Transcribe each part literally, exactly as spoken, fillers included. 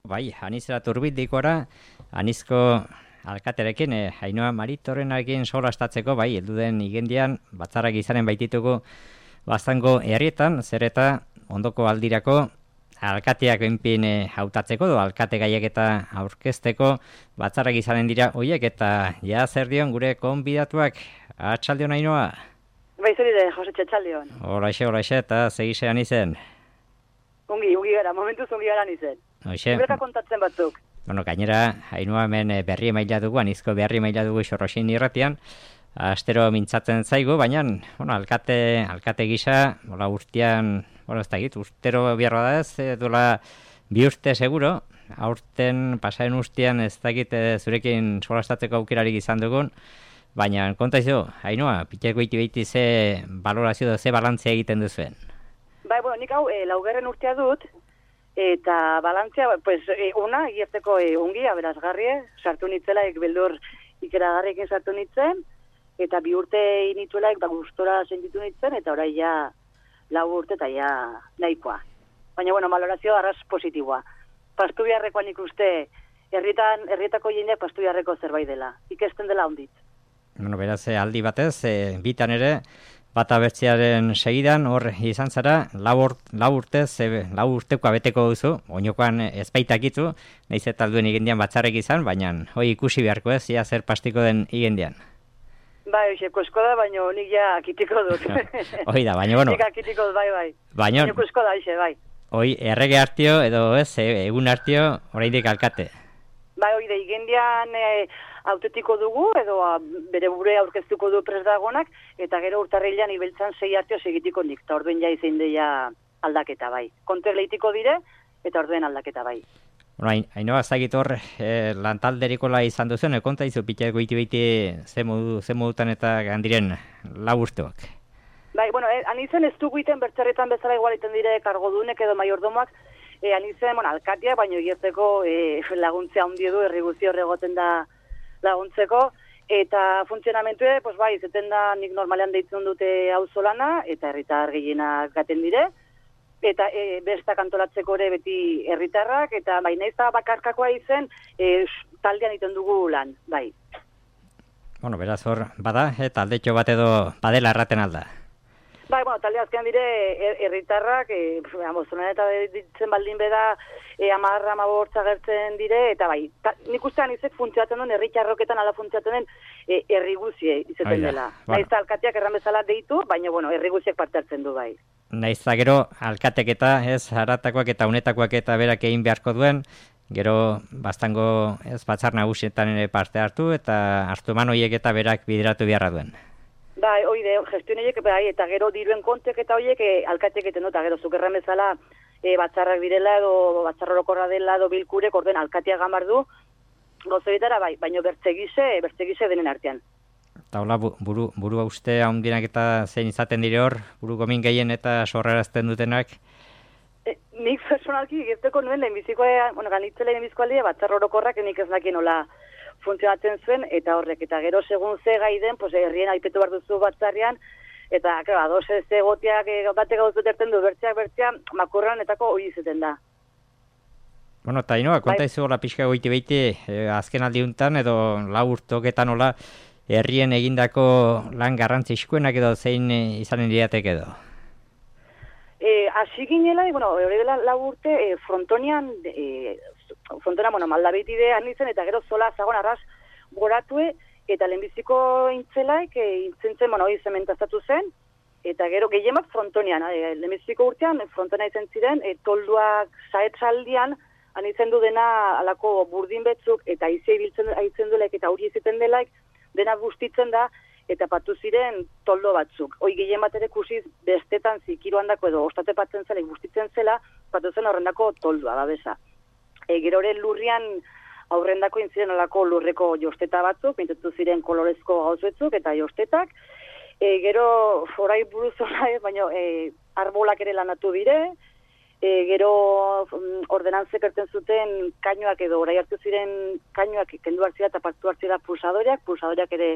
Bai, anizera turbindikora, anizko alkaterekin, eh, Ainhoa Maritorrenarekin solastatzeko, bai, heldu den igendian, batzarrak izanen baitituko baztango herrietan, zer eta ondoko aldirako alkateak enpin eh, hautatzeko, do alkate gaiek eta aurkezteko batzarrak izanen dira hoiek, eta ja zer dion gure konbidatuak, atxaldion Ainhoa? Bai, zer ide, Jose Txetxaldion. Horaixe, horaixe, eta segisean izen. Ungi, ungi gara, momentuz ungi gara nizen. Hoxe. Iberka kontatzen batzuk. Bueno, gainera, Ainhoa hemen berri emaila dugu, anizko berri emaila dugu Xorroxin irratian, astero mintzatzen zaigu, baina, bueno, alkate, alkate gisa, hola urtean, bueno, ez da git, urtero biarra da ez, e, dola bi urte seguro, aurten pasaren urtean ez da git, e, zurekin solastatzeko aukerarik izan dugun, baina, konta izo, Ainhoa, piteko iti behiti ze valorazio da, ze balantzia egiten duzuen? Bai, bueno, nik hau, e, laugarren urtea dut, eta balantzia, pues, e, una, gierteko e, ungi, aberazgarrie, sartu nitzelaik beldur ikeragarriekin sartu nitzen, eta bi urte inituelaik, ba, gustora sentitu nitzen, eta orai ja, lau urte eta ja nahikoa. Baina, bueno, valorazio arras positiboa. Pastu biharrekoan ikuste, herritan, herrietako jendeak pastu biharreko zerbait dela, ikesten dela ondit. Bueno, beraz, aldi batez, e, bitan ere, bata bertzearen segidan, hor izan zara, lau urtez, lau urteko abeteko duzu, oinokoan ezpaitakitu, nahiz eta alduen igendian batzarrek izan, baina hoi ikusi beharko ez, ia zer pastiko den igendian. Bai, oixeko esko da, baina nik ja akitiko dut. Hoi da, baina, bueno. Nik akitiko dut, bai, bai. Baina, Oinoko esko da, ixe, bai. Hoi, errege hartio, edo ez, egun hartio, oraindik alkate. Bai, hoi da, igendian e, autetiko dugu, edo a, bere bure aurkeztuko du pres dagonak, eta gero urtarrilean ibeltzan sei hartio segitiko nik, eta orduen ja izein deia aldaketa, bai. Konter lehitiko dire, eta orduen aldaketa, bai. Bueno, Ainhoa, zagit hor, eh, lantalderikola izan duzen, konta izu, piteko iti behiti ze modu, ze modutan eta gandiren lau urteak. Bai, bueno, eh, anizen ez dugu iten bertzerretan bezala igual iten dire kargodunek edo maiordomoak, e, anizen, bueno, alkatia, baino egierteko e, laguntzea handi du, herri guzti horregoten da laguntzeko, eta funtzionamentue, pues bai, zeten da nik normalean deitzen dute auzolana, eta herritar gehienak gaten dire, eta e, bestak antolatzeko ere beti herritarrak, eta bai, nahiz da bakarkakoa izen, e, taldean iten dugu lan, bai. Bueno, beraz hor, bada, eta aldetxo bat edo badela erraten alda. Bai, bueno, talde azkean dire herritarrak, e, amozonan eta ditzen baldin beda, e, amarra, amabortza gertzen dire, eta bai, ta, nik ustean izek funtzionatzen duen, herritxarroketan ala funtzionatzen den, e, herri guzie izaten dela. Bueno. Naiz alkateak erran bezala deitu, baina, bueno, herri guziek parte hartzen du, bai. Naiz gero, alkatek eta, ez, haratakoak eta unetakoak eta berak egin beharko duen, gero, baztango, ez, batzar nagusietan ere parte hartu, eta hartu eman horiek eta berak bideratu beharra duen. Bai, oide, gestioneiek, bai, eta gero diruen kontek eta horiek e, alkatek eten dut, gero zukerran bezala e, batzarrak direla, edo batzarrorokorra dela, edo bilkurek, orden alkatea gamar du, gozoitara, bai, baino bertzegize, bertzegize denen artean. Eta hola, buru, buru uste haundinak eta zein izaten dire hor, buru gomin gehien eta sorrarazten dutenak? E, nik personalki gerteko nuen lehenbizikoa, bueno, ganitzela lehenbiziko aldia, batzarrorokorrak nik ez dakien hola funtzionatzen zuen, eta horrek, eta gero segun ze gai den, pues, herrien aipetu behar duzu batzarrian, eta, claro, ados ez egoteak e, batek gauz beterten du, bertzeak bertzeak, makurran etako hori izeten da. Bueno, eta Ainhoa, konta bai. izu hola pixka goiti behiti, eh, azken aldiuntan, edo lau urtoketan hola, herrien egindako lan garrantzizkoenak edo zein e, izanen diratek edo? E, Asi ginela, bueno, hori dela lau urte, e, frontonian, e, frontona, bueno, maldabitidean nintzen, eta gero zola zagon arras goratue, eta lehenbiziko intzelaik, e, intzentzen, bueno, hori zementazatu zen, eta gero gehiemak frontonian, e, lehenbiziko urtean, frontona izan ziren, e, tolduak zaetzaldian, anitzen du dena alako burdin betzuk, eta izia ibiltzen aitzen dulaik, eta hori iziten delaik, dena bustitzen da, eta patu ziren toldo batzuk. Hoi gehien bat ere kusiz bestetan zikiruan dako edo ostate patzen zela, bustitzen zela, patu zen horrendako toldua, babesa. E, gero ere lurrian aurrendako intziren alako lurreko josteta batzuk, pintetu ziren kolorezko gauzuetzuk eta jostetak. E, gero, orai buruz orai, baina e, arbolak ere lanatu dire, e, gero ordenantzek erten zuten kainoak edo orai hartu ziren kainoak kendu hartzira eta partu hartzira pulsadoreak, pulsadoreak ere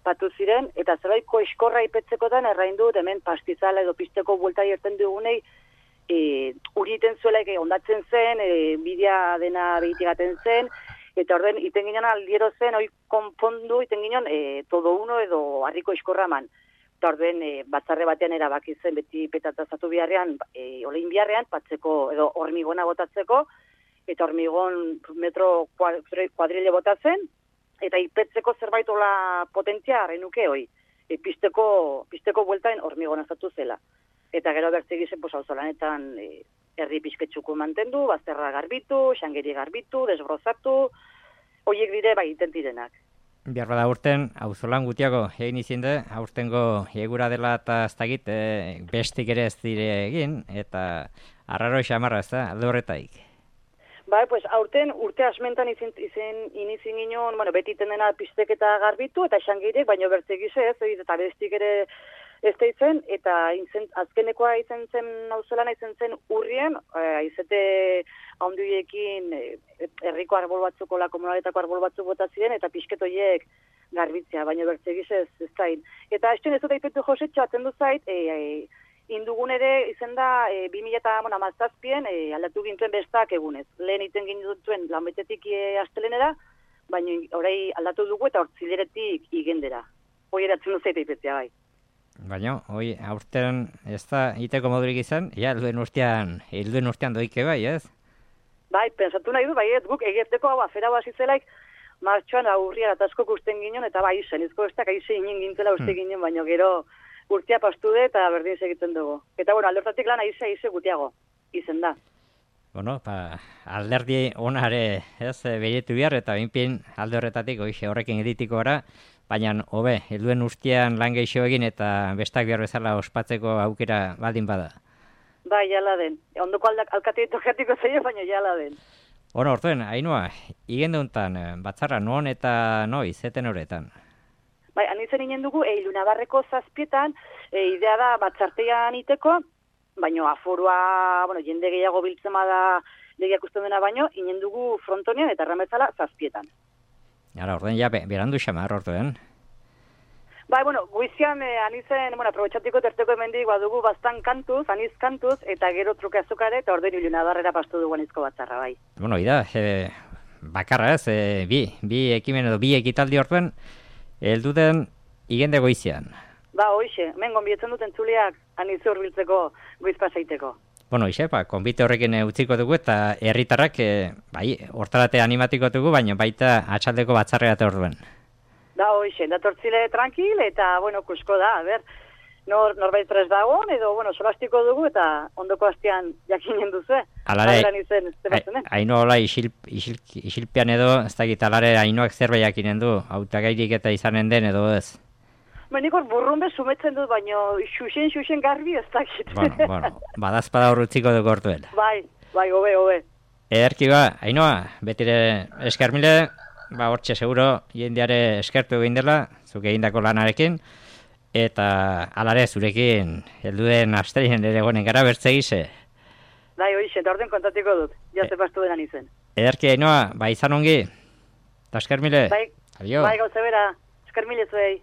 patu ziren, eta zerbaiko eskorra ipetzekotan errain dut, hemen pastizala edo pisteko buelta irten dugunei, e, uri iten zuela, eke, ondatzen zen, e, bidea dena behitigaten zen, eta orden, iten ginen aldiero zen, hoi konpondu, iten ginen, e, todo uno edo harriko iskorraman. Eta orden, e, batzarre batean erabaki zen, beti petatazatu biharrean, e, olein biharrean, patzeko, edo hormigona botatzeko, eta hormigon metro kuadrile botatzen, eta ipetzeko zerbait ola potentzia harrenuke hoi. E, pisteko, pisteko bueltain hormigona zatu zela. Eta gero bertzegizen, pues, hau zolanetan, e, herri pixketxuko mantendu, bazterra garbitu, xangeri garbitu, desbrozatu, horiek dire bai iten direnak. Behar bada urten, auzolan gutiago egin izinde, aurtengo egura dela eta ez dakit, e, bestik ere ez dire egin, eta arraro xamarra ez da, alde horretaik. Bai, pues, aurten urte asmentan izin, izin, inizin ginen, bueno, beti tendena pistek eta garbitu, eta xangirek, baino bertzegize ez, eta bestik ere ez da izen, eta izen, azkenekoa izen zen nauzelana izen zen urrien, e, izete haundioekin herriko arbol batzuko, la komunaletako arbol batzuk bota ziren, eta pisketoiek garbitzea, baina bertzegize ez, ez zain. Eta ez ez dut aipetu josetxo, atendu zait, e, e, indugun ere izen da e, bi mila hamazazpien e, aldatu gintuen bestak egunez. Lehen iten gintuen lanbetetik e, astelenera, baina orai aldatu dugu eta hortzileretik igendera. Hoi eratzen duzait aipetzea bai. Baina, hoi, aurten ez da iteko modurik izan, ja, helduen urtean, helduen urtean doike bai, ez? Bai, pensatu nahi du, bai, ez guk egieteko hau afera bazizelaik, martxoan aurriara atasko kusten ginen, eta bai, zenizko ez da, kaize inen gintzela uste ginen, baina gero urtea pastu de eta berdin segitzen dugu. Eta, bueno, aldortatik lan aize, aize gutiago, izen da. Bueno, pa, alderdi onare, ez, behietu behar, eta binpin alde horretatik, oixe, horrekin editiko gara, baina, hobe, helduen urtean lan geixo egin eta bestak behar bezala ospatzeko aukera baldin bada. Bai, jala den. Ondoko alkateeto jatiko zaio, baina jala den. Bueno, ortuen, Ainhoa, igenduntan, batzarra non eta noiz, zeten horretan? Bai, anitzen inen dugu, e, Ilunabarreko zazpietan, e, idea da batzartean iteko, baino aforua, bueno, jende gehiago biltzema da legiak usten dena baino, inen dugu frontonean eta erramezala zazpietan. Ara, orden ja, berandu xamar, ortuen. Bai, bueno, guizian, eh, anizen, bueno, aprobetxatiko terteko emendik badugu bastan kantuz, aniz kantuz, eta gero truke azukare, eta orden Ilunabarrera pastu dugu anizko batzarra, bai. Bueno, ida, e, bakarra ez, e, bi, bi ekimen edo bi ekitaldi ortuen, helduten igende goizian. Ba, hoixe, hemen gonbietzen duten txuliak aniz urbiltzeko goiz pasaiteko. Bueno, ixe, ba, konbite horrekin utziko dugu eta herritarrak, e, bai, hortarate animatiko dugu, baina baita atxaldeko batzarrea eta orduen. Da, hoixe, datortzile tranquil eta, bueno, kusko da, a ber, nor, norbait prest dagoen, edo, bueno, solastiko dugu eta ondoko hastian jakinen duzu, eh? Alare, eh? haino hola isil, isil, isilpean edo, ez dakit, alare hainoak zerbait jakinen du, hautagairik eta izanen den edo ez? Menikor burrunbe sumetzen dut, baino xuxen, xuxen garbi ez dakit. Bueno, bueno, badazpada horretziko dugu hortuela. Bai, bai, hobe, hobe. Ederki ba, Ainhoa, betire eskermile, ba hortxe seguro jendeare eskertu egin dela, zuk egindako lanarekin, eta alare zurekin helduen asterien ere gonen gara bertzegize. Bai, hoixe, eta orden kontatiko dut, jaze pastu denan izen. Ederki Ainhoa, ba izan ongi, eta eskermile. Bai, Adio. bai gauze bera, eskermile zuei.